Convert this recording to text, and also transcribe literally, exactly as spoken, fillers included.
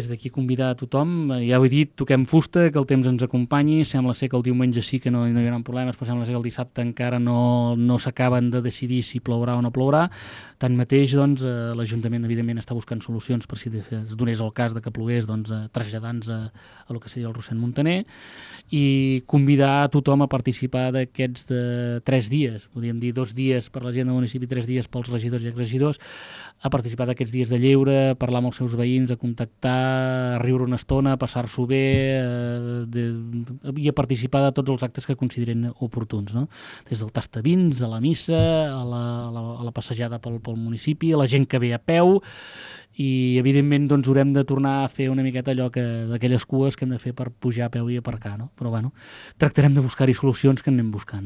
Des d'aquí convidar a tothom, ja ho he dit, toquem fusta, que el temps ens acompanyi, sembla ser que el diumenge sí que no, no hi haurà problemes, però sembla ser que el dissabte encara no, no s'acaben de decidir si plourà o no plourà. Tanmateix, doncs, eh, l'Ajuntament, evidentment, està buscant solucions per si es donés el cas de que plogués, doncs, eh, traslladant-nos a, a lo que seria el Rossend Montaner, i convidar a tothom a participar d'aquests de tres dies, podríem dir dos dies per la gent del municipi, tres dies pels regidors i exregidors, a participar d'aquests dies de lleure, a parlar amb els seus veïns, a contactar, a riure una estona, a passar-s'ho bé, eh, de, i a participar de tots els actes que consideren oportuns, no? Des del tastabins, a la missa, a la, a la, a la passejada pel, pel municipi, a la gent que ve a peu, i evidentment doncs haurem de tornar a fer una miqueta allò que d'aquelles cues que hem de fer per pujar a peu i aparcar, no? Però bueno, tractarem de buscar-hi solucions que anem buscant.